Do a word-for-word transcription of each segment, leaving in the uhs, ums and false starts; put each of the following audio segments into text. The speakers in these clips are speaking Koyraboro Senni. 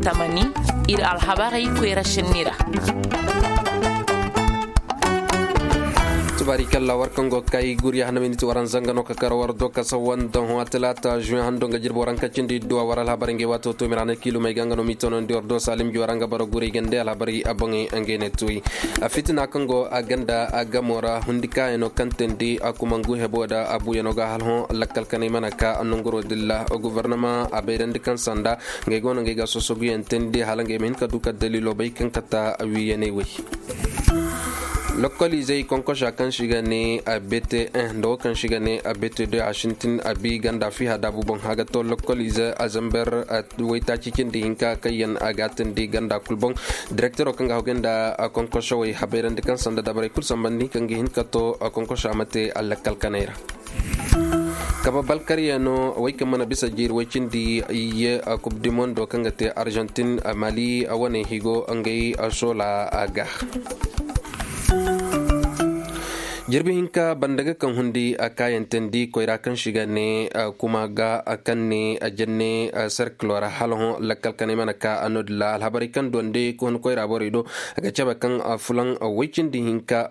Tamani, ir alhabarey koyra sinni ra. Tubaari kalla war kaŋ go kay guri hanamindi ti waran zanga no ka kar war do ka sawan don ho talaata juin hando nga jirbo waran ka cindi duwa war alhabarey ngey waato to mirana kiilumey ga nga no mi tono ndi war do salim ji waran ga bara guri gande alhabarey a boŋey ngey ne tuwi. A fitina kaŋ go a ganda a gamo ra hundi kaayano kaŋ tindi a kumangu hebo da a buyano ga halhõ lakkal kanay mana ka a nonguro dilla. Guvernama a bayrandi kaŋ sanda ngey go no ngey ga sosoguyaŋ tindi hala ngey ma hin ka du ka dalilo bay kaŋ kata wiiyaney wey. Lokoliizey konkosa kaŋ si ga ne a bete un nda wo kaŋ si ga ne a bete deux a sintin a bi ganda fiha daabu boŋ a ga to lokoliize a zamber waytaaci cindi hinka kaŋ yaŋ a ga tindi ganda kul boŋ. Direktero kaŋ ga hogay nda konkosowey habayrandi kaŋ sanda dabarey kul sambandi kaŋ ga hin ka to konkoso a ma te a lakkal kanay ra. Kaba balkaryaŋo wey kaŋ mana bisa jiiri way cindi iyye kub di mondo kaŋ ga te arjantin mali wane higo ngey sola ga. Jirbi hinka banda ga kaŋ hundi a kaayantandi koyra kaŋ si ga ne kuma ga kaŋ ne janne serkilo ra hala hõ lakkal kanay mana ka a no-din ra alhabarey kaŋ donde ka hun koyra borey do. A ga cabe kaŋ fulaŋ way cindi hinka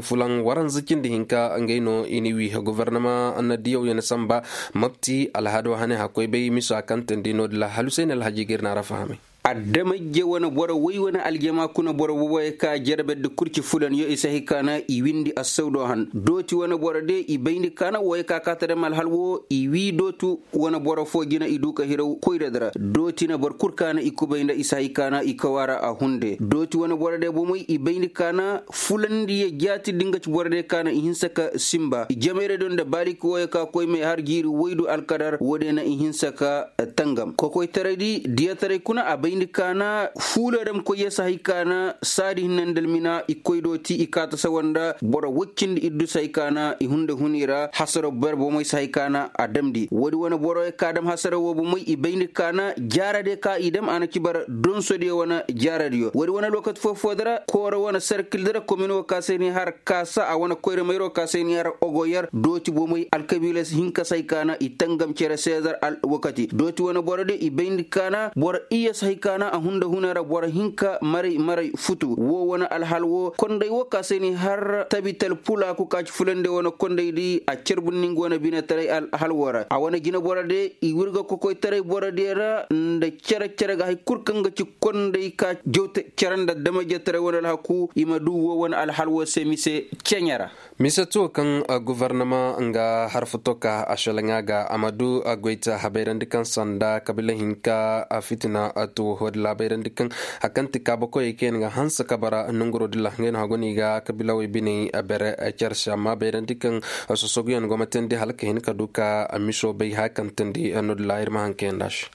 fulaŋ waranza cindi hinka ngey no i na wi gubernama na diyaw yaŋ samba mabti alhado hane hakkoy bay miso a kaŋ tandi no-din ra hala husayni alhaji ga ir na ra fahamay. Adamajje wane boro woy wane aljama kuna boro woy ka jarabedde kurci fulanyo i sahi kaana i windi assawdo han dooti wane boro de i bayndi kaana woy ka kaata dam alhal wo i wi dootu wane boro fo jina i du ka hiraw koyra dara dooti na boro kul kaana i kubay nda i sahi kaana i kawaara a hunde dooti wane boro de bomey i bayndi kaana fulandiyo jaati dinga ci boro de kaana i hinsa ka simba i jamayra do nda baaliki woy ka koy may har jiiri woydu alkadar wo de na i hinsa ka tangam kokoytaray di diyataray kuna a bayndi kaana fuulo dam koy ya sahay kaana saadi hinna nda almina i koy do ti i kaata sawa nda boro woy cindi iddu sahay kaana i hunda huni ra hasaro ber bomey sahay kaana a damndi woodi wane boro ya ka dam hasaro wo bomey i bayndi kaana jaaradiyo ka i dam a na ci bara donsodiyo wane jaaradiyo woodi wane lookati foo foo dara kooro wane serkil dara komin wo ka se ni har kaasa a wane koyra mayro ka se ni har ogoyer dooti bomey alkabiila si hin ka sahay kaana i tangam cere seezar alwakati dooti wane boro de i bayndi kaana boro iyye sahay kaana a hunda huna ra boro hinka maray maray futu wo wane alhal wo konday wo ka se ni har tabital pulaaku ka ci fulande wane konday di a carbundi nga wane binetaray alhal wo ra a wane jineboro de i wirga kokoytaray borodiyo ra nda cere cere ga hay kul kaŋ ga ci konday ka jawte cere nda damajetaray wane alhaku i ma du wo wane alhal wo se mise ceɲe ra. Mise tuwo kaŋ gubernama nga harfuto ka a selaŋa ga a ma du goyta habayrandi kaŋ sanda kabila hinka fitina tuwo wadi laabayrandi kaŋ a kaŋ ti kaabakoyey kaŋ yaŋ ga hanse kabara nonguro dilla ngey no hagoni ga kabilawey biney bere. Care se amma bayrandi kaŋ sosoguyaŋ go ma teendi hala ka hin ka du ka miso bay haya kaŋ teendi no dilla ir ma haŋ kaŋ yaŋ da se.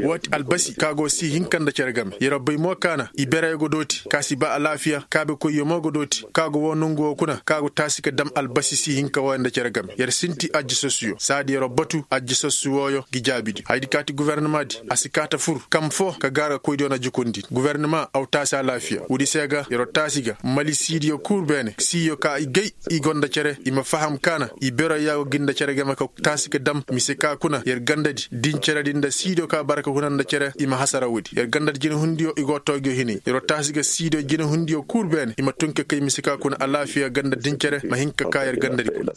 Woo ti albasi ka go si hinka nda cere game yer bay mo kaana i bereyo go dooti ka si ba alaafiya kaabekoyyo mo go dooti ka go woo nongu woo kuna ka go taasi ka dam albasi si hinka wooyo nda cere game yer sinti ajjasassuyo saadi yer batu ajjasassu wooyo ngi jaabidi hayadi ka ti gubernama di a si kaa ta fur kam foo ka gaara koydiyo na jukundi gubernama aw taasi alaafiya woodi se ga yer taasi ga mali siidiyo kul beene siiyo ka i gay i go nda cere i ma faham kaana i bereyo ya go gi nda cere game ka taasi ka dam mise ka kuna yer gandadi din ceredi nda siidiyo ka bara ka huna nda cere i ma hasara woodi yer gandadi jinehundiyo i go toogiyo hinay yer taasi ga siidiyo jinehundiyo kul beene i ma tun ka kay mise ka kuna alaafiya ganda din cere ma hin ka ka yer gandadi kuna.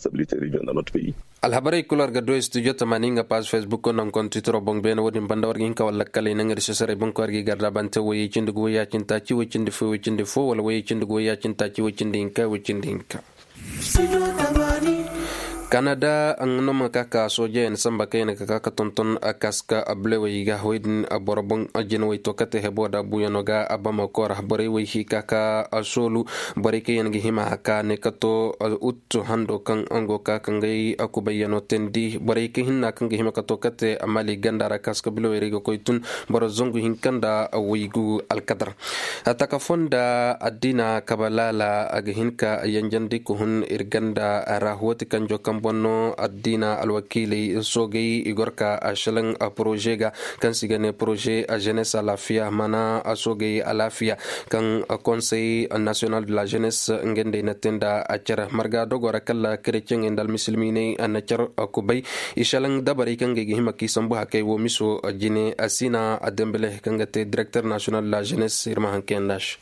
Alhabarey kul war ga du studio tamaani nga paaz facebook naŋ kontitiro boŋ beene woodin banda war ga hin ka walla kala i naŋ ir seseray boŋ ka war ga i garda bante woyey cindi ga woyey a cindi taaci woy cindi fo woy cindi fo wala woyey cindi ga woyey a cindi taaci woy cindi hinka woy cindi hinka. Kanada nga no ma ka ka soojeyaŋ samba kaŋ yaŋ ga ka ka tonton kaska blewey ga wey din boro boŋ jinawey to kate hebo da buyano ga bamako ra borey wey hi ka ka soolu borey kaŋ yaŋ ga hima ka ne ka to. Ut hando kaŋ nga go ka ka ngey kubayyano teendi borey kaŋ hinna kaŋ ga hima ka to kate mali ganda ra kaska blewey ra i ga koy tun boro zangu hinka nda waygu alkadar. Taka fonda addina kaba laala a ga hin ka yanjandi ka hun ir ganda ra hooti kanjo kaŋ Bonno addiina alwakiiley soogay i gor ka a šelaŋ a poroze ga, kaŋ se i ga ne poroze a jenes alaafiya mana a soogay alaafiya, kaŋ konsey nasiyonal de la jenes nga nd'ey na te nda a care marga dogo ra kala kereceŋey nda almisilmiiney na care kubay. I šelaŋ dabarey kaŋ ga i ga hima k'i sambu hakey wo miso jine a siina a dembele kaŋ ga te direkter nasiyonal de la jenes ir ma haŋ kayandi a se.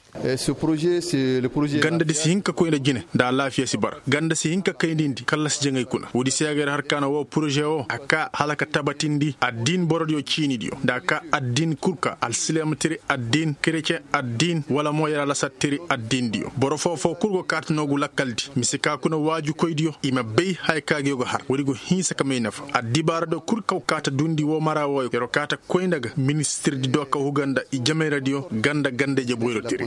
Ganda di si hin ka koy nda jine nda alaafiya si bara. Ganda si hin ka kay nda indi kallasi jaŋay kuna woodi se a ga yar har kaana woo poroze woo a kaa hala ka tabatindi addiin borodiyo ciinidiyo nda a kaa addiin kul ka alsilaamtiri addiin kereceŋ addiin wala mo yar alasattiri addiindiyo boro foo-foo kul go kaata noogu lakkaldi mise ka kuna waajukoydiyo i ma bay haya ka gi go har woodi go hinsa ka may nafa addibaaradiyo kul kaw kaata duundi woo mara wooyo yar go kaata koy nda ga ministirdi do ka huga nda i jamayradiyo ganda ganda-ije boyro tiri.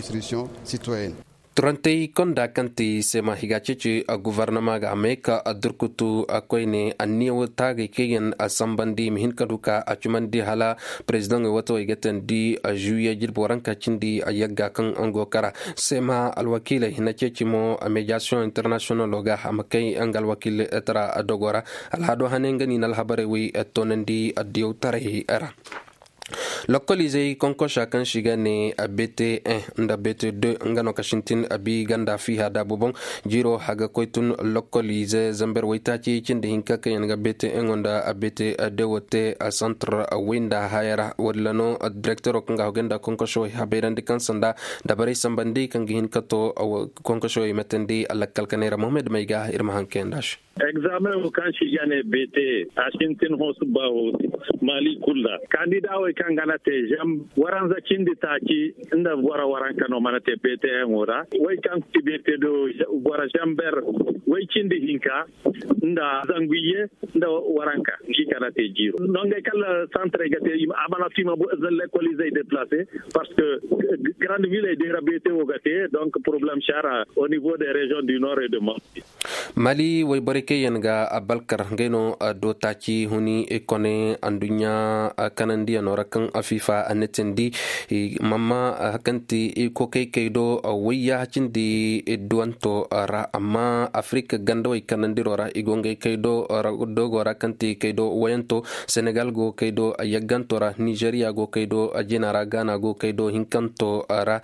Turantey konda kaŋ ti seema higa ceeci gofornama ga a may ka durkutu koyne anniya wo taagay kaŋ yaŋ a sambandi i ma hin ka du ka a cumandi hala perezidaŋey wato ay ga teendi. Žuwiye jirbi waranka cindi yagga kaŋ nga go kara seema alwakiiley hina ceeci mo mediyasiyoŋ internasiyonalo ga a ma kay nga alwakiiley tara dogo ra. Alhado hane nga no i na alhabarey wey toonandi addiyawtaray ra. Lokkoliizey konkosa kaŋ se i ga ne bt un nda bt deux nga no ka sintin abi ganda fiiha daabu boŋ. Jiiro haga koy tun lokkoliize zamber waytaaci cindi hinka kaŋ yaŋ ga bt un nda bt deux wo te santar way nda haya ra walla no direktero kaŋ ga hogay nda konkoso habayrandi kaŋ sanda dabarey sambandi kaŋ ga hin ka to. Konkoso i matandi alakkal kanay ra mohamed may ga ir ma haŋ kayandi a se. Egzaamen wo kaŋ se i ga ne bt a sintin hoosu ba hoosu maali kul ra kandida wey kaŋ ga na te zam waranza cindi taaci nda boro waranka no mana te bt un wo ra wey kaŋ ti bt do boro zamber wey cindi hinka nda zanguye nda waranka ngi kana te jiiro nongey kala santrey ga te a mana fima lekolizey deplase parce que grande ville ey dey ra bt wo ga te donc problème sara au niveau des régions du nord et de mont. Mali wayborey kaŋ yaŋ ga balkar ngey no do taaci huni kone anduɲɲa kanandiyano ra kaŋ afifa a netindi. Mamma kaŋ ti kokey kay do wayya cindi duwanto ra amma afirika gandawey kanandiro ra i go ngey kay do dogo ra kaŋ ti kay do wayanto senegal go kay do yagganto ra nizeriya go kay do jina ra gaana go kay do hinkanto ra.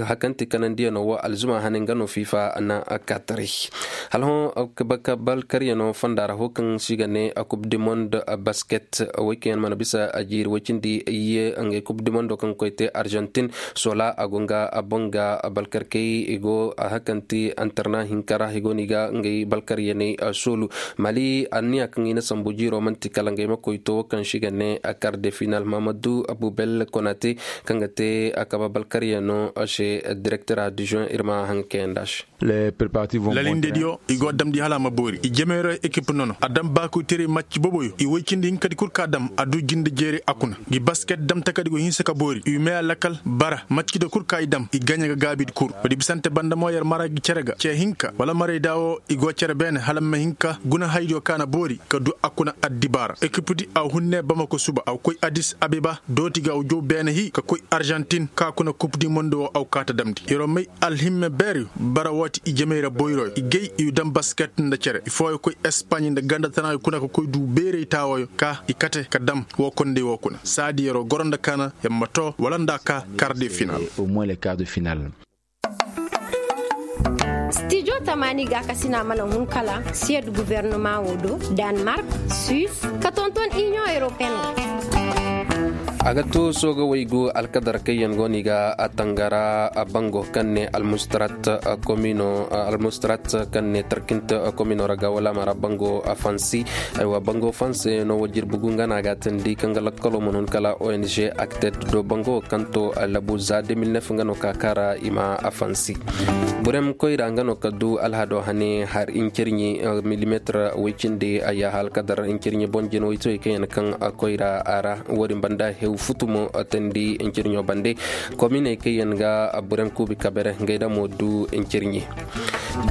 Hakan ti kanandiyano wo alzuma hane nga no fifa na kataray. Hala hõ balkaryano fonda ra ho kaŋ si ga ne coupe du monde basket, wey kaŋ yaŋ mana bisa a jiiri way cindi ye ngey coupe du monde kaŋ koy te argentin. Sola a go nga a boŋ ga balkarkey i go a hakanti antarna hinka ra i go no i ga ngey balkaryaney soolu. Mali anniya kaŋ i na sambu jiiro man'ti kala ngey ma koy to kaŋ si ga ne a kar de final mamadu abubel konate kaŋ ga te a kaba balkaryano se direkter a dijon ir ma haŋ kayandi a se. Lalindediyo i go damndi hala a ma boori i jemeero ekip nono a dam baakoyteray macci boboyo i woy cindi hinkadi kul ka dam a du jinde jeeri a kuna ngi basket dam takadi go hinsa ka boori i meya lakal bara maccida kul ka i dam i gaɲa ga gaabidi kul woodi bisante banda mo yer mara gi cere ga ce hinka wala maray da wo i go cere beene hala ma hinka guna haydiyo ka na boori ka du a kuna addibaara ekipdi a hunne bamako suba a koy adis abeba dooti ga a jow beene hi ka koy arjantin ka kuna kup di mondo wo a kaata damndi yeroo may alhimme beeri bara woo ti i jemey ra boyroyo i gay i dam basket nda cere i fooyo koy espaɲ nda ganda tana kuna ka koy du beerey taawoyo ka i kate ka dam woo kondey woo kuna saadi yeroo goro nda kaana yer ma too wala nda a kaa kar de final. Stijo tamaani ga ka sina mana hun kala siyad guvernoma woo do, danmark, suis ka tonton inion europeen. A ga to sooga waygu alkadar kaŋ yaŋ go no i ga a tangara bango kaŋ ne almustarat komino almustarat kaŋ ne tarkint komino ra ga wala mara bango fansi. Aywa bango fansi no wa jirbi gu nga no a ga a tandi kaŋ ga lakkalo ma no ni kala ong aktet do bango kaŋ to labu za de mil nef nga no ka kaara i ma a fansi. Burem koyra nga no ka du alhado hane har incirɲi milimetir way cindi a yaaha alkadar incirɲi boŋ jina way toy kaŋ yaŋ kaŋ koyra a ra. Woodin banda Futu mo tandi ncirɲo bande. Kominey kaŋ yaŋ ga burem kuubi kabere ngey da mo du ncirɲi.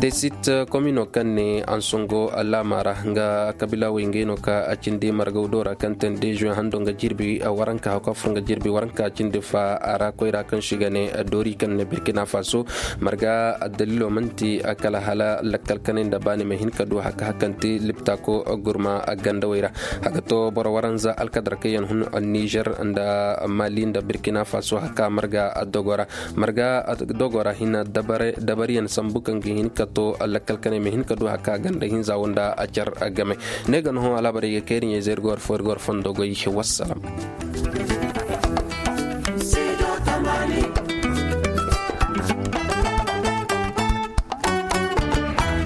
Desit komino kaŋ ne ansongo laama ra nga kabilawey ngey no ka a cindi margaw do ra kaŋ tandi zuwe hando nga jirbi waranka hawka fur nga jirbi waranka cindi fa a ra koyra kaŋ si ga ne dori kaŋ ne birkina faso. Marga addalilo manti kala hala lakkal kanay nda baani ma hin ka du haka hakanti liptako gurma gandawey ra. A ga to boro waranza alkadar kaŋ yaŋ hun nizer nda mali nda birkina faso haka marga dogo ra. Marga dogo ra hina dabariyaŋ sambu kaŋ ga hin ka to lakkal kanay ma hin ka du haka ganda hinza wanda a car game. Ne ga no hõ alaabarey ga kayri ɲey zay ir ga war fo ir ga war fondo goy. Wassalam.